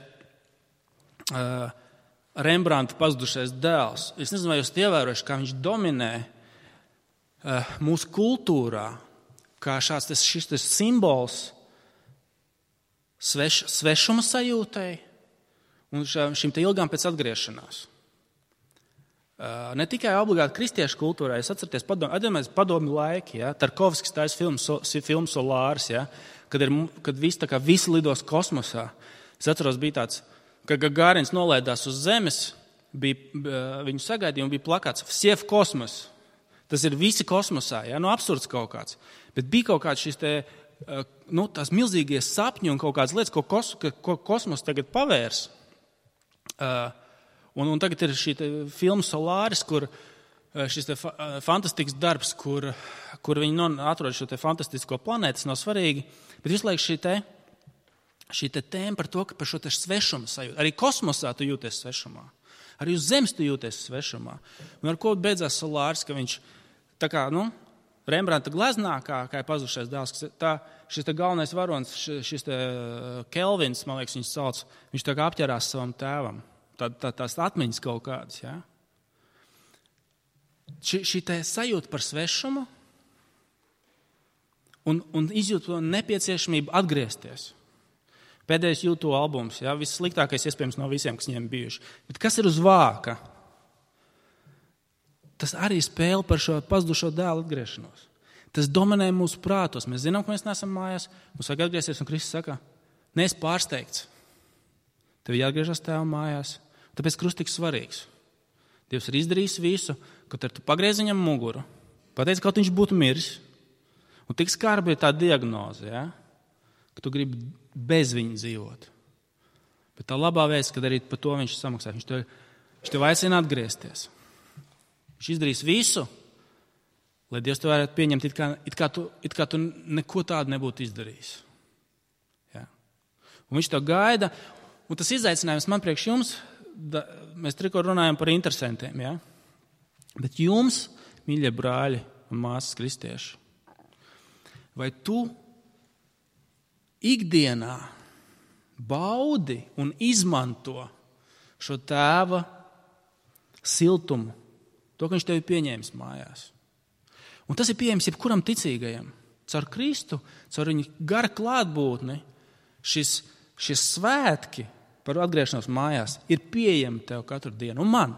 Rembrandta pazudušais dēls, es nezinu, vai jūs ievērojuši, kā viņš dominē mūsu kultūrā, kā šis simbols svešuma sajūtai un šim te ilgām pēc atgriešanās. Ne tikai obligāti kristiešu kultūrā, es atceros padomju laiki, ja, Tarkovskis taisa filmu Solārs, ja, kad visi lidos kosmosā. Es atceros, bija tāds, ka Gagārins nolaidās uz Zemes, viņu sagaidīja un bija plakāts "Vsie v kosmos". Tas ir visi kosmosā, ja, absurds kaut kāds. Bet bija kaut kāds šis te, tās milzīgie sapņi un kaut kādas lietas, ko kosmos tagad pavērs. Un tagad ir šī filma Solāris, kur šis fantastisks darbs, kur viņi atrod šo fantastisko planētu, tas nav svarīgi. Bet visu laiku šī tēma par to, ka par šo svešumu sajūtu. Arī kosmosā tu jūties svešumā. Arī uz Zemes tu jūties svešumā. Un ar ko beidzās Solāris, ka viņš tā kā, Rembrandta gleznā, kā ir pazudušais dēls, šis galvenais varonis, šis Kelvins, man liekas, viņus sauc, viņš tā kā apķerās savam tēvam. Tās atmiņas kaut kādas. Ja? Šī sajūta par svešumu un izjūt to nepieciešamību atgriezties. Pēdējais YouTube albums, ja? Vissliktākais iespējams no visiem, kas viņiem bijuši. Bet kas ir uz vāka? Tas arī spēle par šo pazudušo dēlu atgriešanos. Tas dominē mūsu prātos. Mēs zinām, ka mēs neesam mājās, mums vajag atgriezties, un Kristus saka, neesi pārsteigts. Tev jāatgriežas Tēva mājās. Tāpēc krusts tik svarīgs. Dievs ir izdarījis visu, kad tu pagriez viņam muguru, pateici, kaut viņš būtu miris. Un tik skarba ir tā diagnoze, ja? Ka tu gribi bez viņa dzīvot. Bet tā labā vēsts, kad arī par to viņš samaksā. Viņš tev aicina atgriezties. Viņš izdarīs visu, lai Dievs tev varētu pieņemt, it kā tu neko tādu nebūtu izdarījis. Ja? Un viņš tev gaida, un tas izaicinājums man priekš jums, mēs tikko runājam par interesantiem, ja? Bet jums, mīļie brāļi un māsas kristieši, vai tu ikdienā baudi un izmanto šo Tēva siltumu, to, ka viņš tevi pieņēmis mājās. Un tas ir pieejams jebkuram ticīgajam. Caur Kristu, caur viņa gara klātbūtni, šie svētki par atgriešanos mājās ir pieejami tev katru dienu. Un man.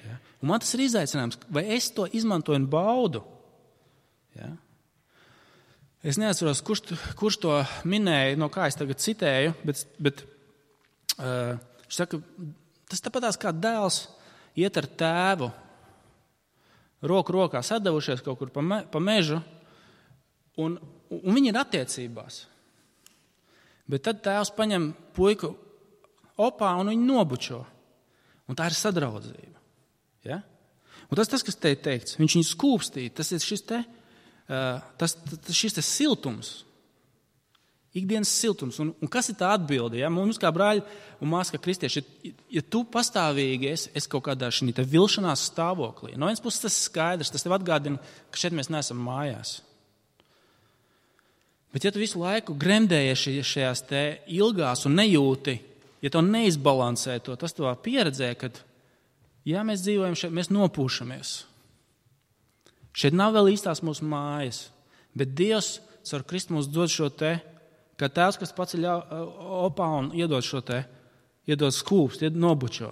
Ja? Un man tas ir izaicinājums, vai es to izmantoju un baudu. Ja? Es neatceros, kurš to minēja, no kā es tagad citēju, bet viņš saka, tas tāpatās kā dēls iet ar tēvu, roku rokā sadavušies kaut kur pa mežu, un viņi ir attiecībās. Bet tad tēvs paņem puiku opā un viņu nobučo. Un tā ir sadraudzība. Ja? Un tas, kas te teikts, viņš viņu skūpstīja, tas ir šis siltums. Ikdienas siltums. Un kas ir tā atbilde? Ja? Mums kā brāļi un māsas, kā kristieši, ja tu pastāvīgi esi kaut kādā šī vilšanās stāvoklī, no vienas puses tas ir skaidrs, tas tev atgādina, ka šeit mēs neesam mājās. Bet ja tu visu laiku gremdējies šajās te ilgās un nejūti, ja tu neizbalansē to, tas tavā pieredzē, kad jā, mēs dzīvojam šeit, mēs nopūšamies. Šeit nav vēl īstās mūsu mājas, bet Dievs caur Kristu mums dod šo te, kā tēvs, kas paceļ opā un iedod šo te, iedod skūpst, nobučo.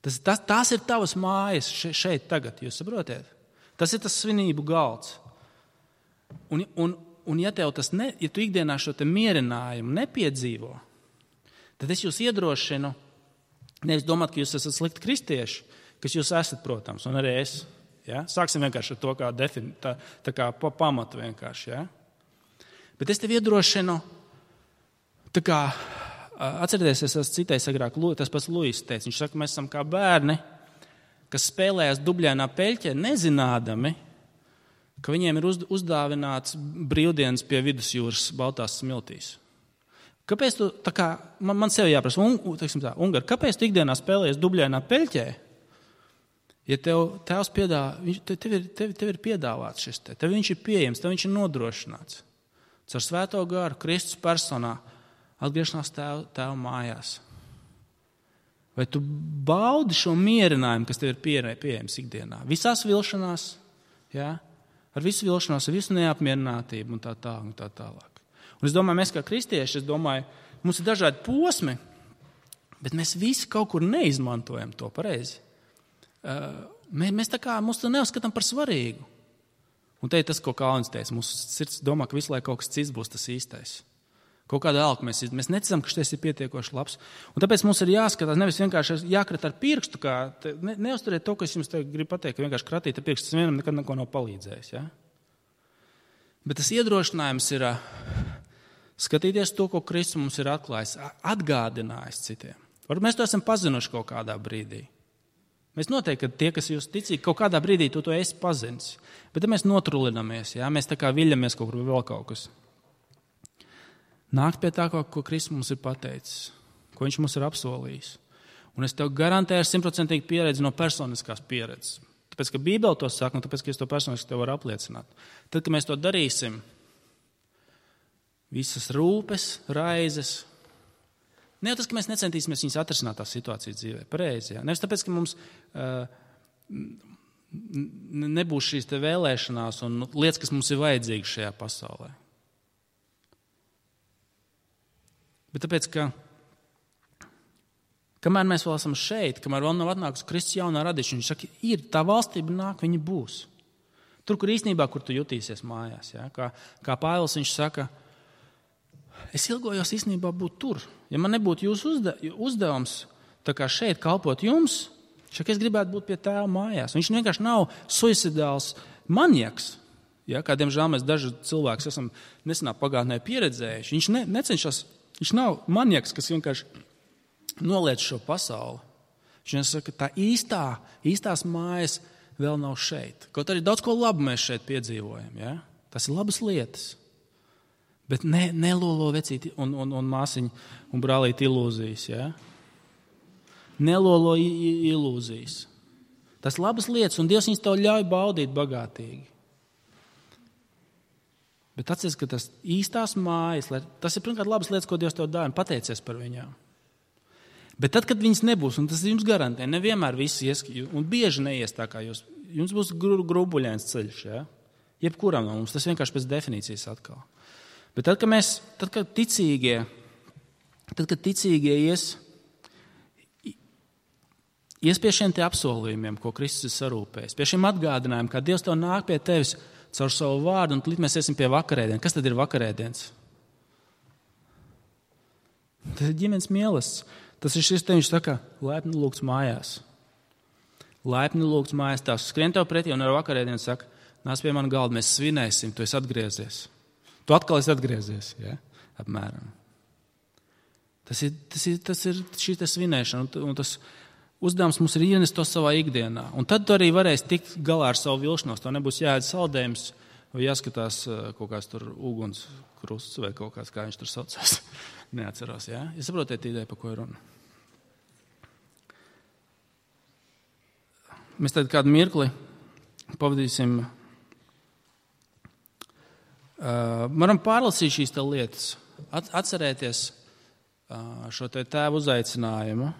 Tas ir tavas mājas šeit tagad, jūs saprotiet? Tas ir tas svinību galds. Un ja tev ja tu ikdienā šo te mierinājumu nepiedzīvo, tad es jūs iedrošinu, nevis domāt, ka jūs esat slikti kristieši, kas jūs esat, protams, un arī es. Ja? Sāksim vienkārši ar to tā kā pamatu vienkārši. Ja? Bet es tev iedrošinu, tā kā, atcerieties, es esmu citējis agrāk, tas pats Luis teica, viņš saka, mēs esam kā bērni, kas spēlējās dubļainā peļķē, nezinādami, ka viņiem ir uzdāvināts brīvdienas pie vidusjūras baltās smiltīs. Kāpēc tu, tā kā, man sev jāprasa, Ungari, kāpēc tu ikdienā spēlējies dubļainā peļķē, ja tev tēvs tev ir piedāvāts šis tev viņš ir pieejams, tev viņš ir nodrošināts. Caur Svēto garu, Kristus personā, atgriešanās tēva mājās. Vai tu baudi šo mierinājumu, kas tev ir pieejams ikdienā? Visās vilšanās, ja? Ar visu vilšanos, ar visu neapmierinātību un tā tālāk. Un es domāju, mēs kā kristieši, mums ir dažādi posmi, bet mēs visi kaut kur neizmantojam to pareizi. Mēs tā kā mūs to neuzskatām par svarīgu. Un te ir tas, ko Kalns teica. Mūsu sirds domā, ka visu laiku kaut kas cits būs tas īstais. Kaut kādu elku mēs neticam, ka šis ir pietiekoši labs. Un tāpēc mums ir jāskatās, nevis vienkārši jākrat ar pirkstu, neuzturiet to, kas jums te grib pateikt, ka vienkārši kratīt ar pirkstu, tas vienam nekad neko nav palīdzējis. Ja? Bet tas iedrošinājums ir skatīties to, ko Kristus mums ir atklājis, atgādinājis citiem. Varbūt mēs to esam pazinuši kaut kādā brīdī. Mēs noteikti, ka tie, kas jūs ticīgi, kaut kādā brīdī to esi pazinis. Bet tad mēs notrulinamies, ja? Mēs tā kā viļamies kaut kur vēl kaut kas. Nākt pie tā, ko Kristus mums ir pateicis, ko viņš mums ir apsolījis. Un es tev garantēju ar 100% pieredzi no personiskās pieredzes. Tāpēc, ka Bībele to saka, un tāpēc, ka es to personiski tev varu apliecināt. Tad, kad mēs to darīsim, visas rūpes, raizes, ne jau tas, ka mēs necentīsimies viņus atrisināt tās situācijas dzīvē, pareizi. Ja? Nevis tāpēc, ka mums nebūs šīs te vēlēšanās un lietas, kas mums ir vajadzīgas šajā pasaulē. Bet tāpēc, ka kamēr mēs vēl esam šeit, kamēr vēl nav atnākusi Kristus jaunā radīšana, viņš saka, ir tā valstība nāk, viņa būs. Tur, kur īstenībā, kur tu jutīsies mājās. Ja? Kā Pāvils viņš saka, es ilgojos īstenībā būt tur. Ja man nebūtu jūsu uzdevums tā kā šeit kalpot jums, es gribētu būt pie tēva mājās. Viņš vienkārši nav suicidāls manieks. Ja? Kā diemžēl mēs daži cilvēki esam nesenā pagātnē pieredzējuši. Viņš necenšas. Viņš nav manieks, kas vienkārši noliec šo pasauli. Viņš saka, ka tā īstās mājas vēl nav šeit. Kaut arī daudz ko labu mēs šeit piedzīvojam. Ja? Tas ir labas lietas. Bet nelolo vecīti un māsiņu un brālīti ilūzijas. Ja? Nelolo ilūzijas. Tas labas lietas, un Dievs viņus tev ļauj baudīt bagātīgi. Bet atceries, ka tas īstās mājas, tas ir pirmkārt labas lietas, ko Dievs tev dāvā, un pateicies par viņām. Bet tad, kad viņas nebūs, un tas jums garantē, nevienmēr visi ies, un bieži neies tā kā jums būs grubuļains ceļš, ja? Jebkuram no mums, tas vienkārši pēc definīcijas atkal. Bet tad, kad ticīgie ies pie šiem te apsolījumiem, ko Kristus ir sarūpējis, pie šiem atgādinājumiem, kā Dievs tev nāk pie tevis caur savu vārdu, un līdz mēs iesim pie vakarēdienas. Kas tad ir vakarēdienas? Tas ir ģimenes mīlestības. Tas ir šis te, viņš saka, laipni lūgts mājās. Laipni lūgts mājās. Tās skrien tev pretī un ar vakarēdienu saka, nāc pie man galda, mēs svinēsim, tu esi atgriezies. Tu atkal esi atgriezies, ja? Apmēram. Tas ir šī te svinēšana, un tas uzdevums mums ir ienest to savā ikdienā. Un tad tu arī varēsi tikt galā ar savu vilšanos. To nebūs jāēd saldējums vai jāskatās kaut kāds tur uguns krusts vai kaut kāds, kā viņš tur saucās. Neatceros, jā? Ja saprotiet ideju, pa ko ir runa. Mēs tad kādu mirkli pavadīsim. Varam pārlasīt šīs te lietas. Atcerēties šo te tēvu uzaicinājumu.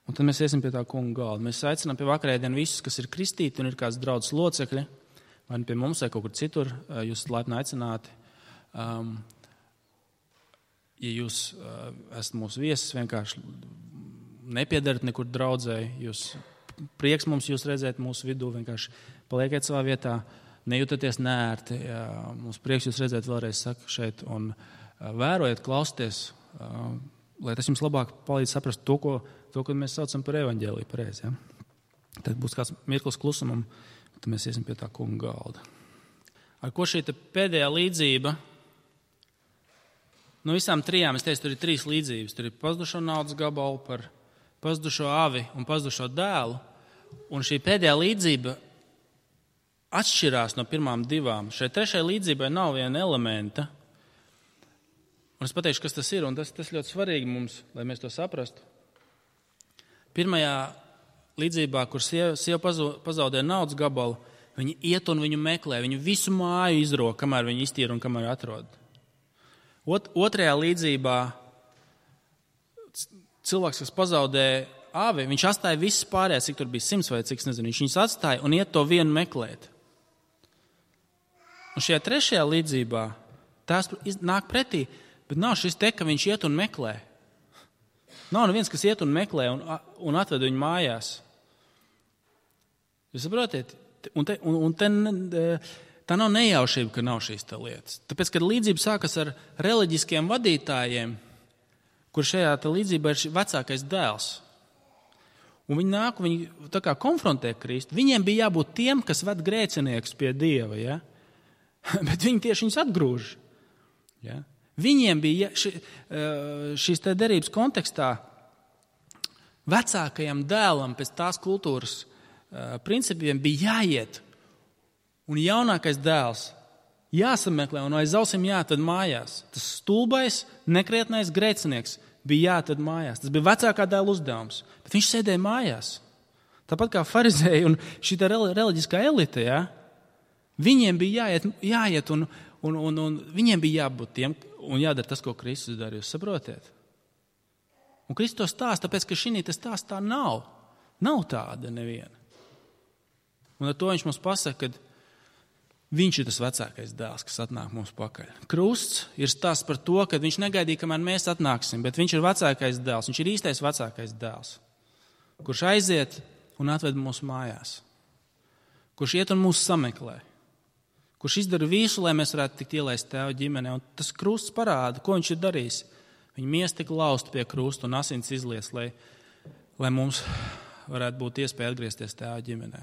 Un tad mēs iesim pie tā kunga galda. Mēs aicinām pie vakarēdienu visus, kas ir kristīti un ir kāds draudzes locekļi, vai pie mums vai kaut kur citur, jūs laipni aicināti. Ja jūs esat mūsu viesis, vienkārši nepiedarat nekur draudzēji, jūs prieks mums jūs redzēt mūsu vidū, vienkārši palieciet savā vietā, nejūtaties neērti. Mums prieks jūs redzēt vēlreiz, saku šeit, un vērojiet, klausieties, lai tas jums labāk palīdz saprast to, ko mēs saucam par evaņģēliju pareizi. Ja? Tad būs kāds mirklis klusumam, tad mēs iesim pie tā kunga galda. Ar ko šī pēdējā līdzība? No visām trijām, es teicu, tur ir 3 līdzības. Tur ir pazudušo naudas gabalu, par pazudušo avi un pazudušo dēlu. Un šī pēdējā līdzība atšķirās no pirmām 2. Šai 3. līdzībai nav viena elementa. Un es pateikšu, kas tas ir, un tas ļoti svarīgi mums, lai mēs to saprastu. Pirmajā līdzībā, kur sieva pazaudē naudas gabalu, viņi iet un viņu meklē, viņu visu māju izrok, kamēr viņi iztīra un kamēr atrod. Otrajā līdzībā cilvēks, kas pazaudē avi, viņš atstāja visas pārējās, cik tur bija 100 vai cik, nezinu, viņš viņus atstāja un iet to vienu meklēt. Un šajā 3. līdzībā tās nāk pretī, bet nav šis te, ka viņš iet un meklē. Nav neviens, kas iet un meklē un atved viņu mājās. Jūs saprotiet? Tā nav nejaušība, ka nav šīs lietas. Tāpēc, kad līdzība sākas ar reliģiskiem vadītājiem, kur šajā līdzībā ir vecākais dēls, un viņi nāk, viņi tā kā konfrontē Kristu, viņiem bija jābūt tiem, kas ved grēciniekus pie Dieva, ja? Bet viņi tieši viņus atgrūž. Ja? Viņiem bija šīs te derības kontekstā vecākajam dēlam pēc tās kultūras principiem bija jāiet, un jaunākais dēls jāsameklē un aiz ausīm jāatved mājās. Tas stulbais, nekrietnais grēcinieks bija jāatved mājās. Tas bija vecākā dēla uzdevums, bet viņš sēdēja mājās. Tāpat kā farizēji un šī reliģiskā elite, ja? Viņiem bija jāiet un viņiem bija jābūt tiem un jādara tas, ko Kristus dara. Jūs saprotiet? Un Kristus to stāsta, tāpēc, ka šī stāstā nav. Nav tāda neviena. Un ar to viņš mums pasaka, ka viņš ir tas vecākais dēls, kas atnāk mums pakaļ. Krusts ir stāsts par to, ka viņš negaidīja, kamēr mēs atnāksim, bet viņš ir vecākais dēls, viņš ir īstais vecākais dēls, kurš aiziet un atved mūsu mājās, kurš iet un mūs sameklē, kurš izdara visu, lai mēs varētu tikt ielaist Tēva ģimenē. Un tas krusts parāda, ko viņš ir darījis. Viņa miesa tika lausta pie krusta un asins izlies, lai mums varētu būt iespēja atgriezties Tēva ģimenē.